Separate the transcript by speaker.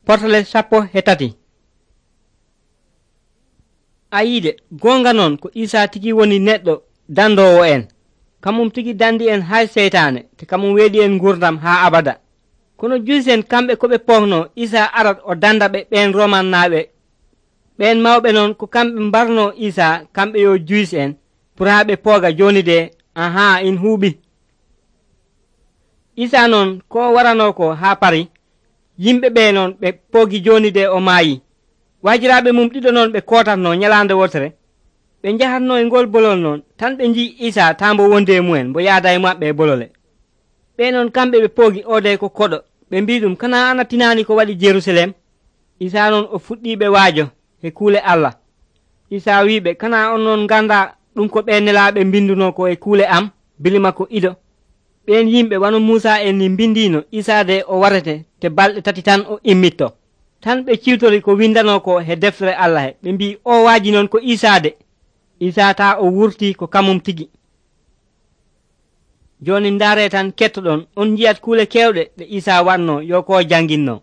Speaker 1: Portale 13. Ayiide gonga noon ko Isa tigi woni neɗɗo dandowo en. Kamum tigi dandi en hay seytaane te kamum weeɗi en gurdam haa abada. Kono juisen kamɓe ko ɓe pohno Isa arat o danda ɓe ɓen romannaaɓe. Ɓen mawɓe noon ko kamɓe mbarno Isa kamɓe yo juis en pour haa ɓe pooga joni de in huuɓi. Isa noon ko warano ko haa pari yimɓe ɓe noon ɓe poogi joni de o maayi. Wajiraaɓe mum ɗiɗo noon ɓe kootatno nyalande wotere. Ɓe njahatno e ngol bolol noon tan ɓe nji Isa taa mbo wondi e mu'en mbo yaada e maɓɓe e bolole. Ɓe noon kamɓe ɓe poogi ode ko koɗo. Ɓe mbi ɗum kana ana tinani ko waɗi Jerusalem. Isa noon o fuɗɗiɓe waajo e kuule Allah. Isa wiɓe kana on noon ganda ɗum ko ɓe nelaɓe mbinduno ko e kuule am bili makko ido. Ɓen yimɓe wano Musa en ni mbindino Isa de o warete te balɗe 3 tan o immitto. Tan ɓe ciwtori ko windano ko he deftere Allah he. Ɓe mbi o waaji noon ko Isa de. Isa taa o wurti ko kamum tigi. Joni ndaare tan kettoɗon on jiyat kuule kewɗe ɗe Isa wanno yo ko janginno.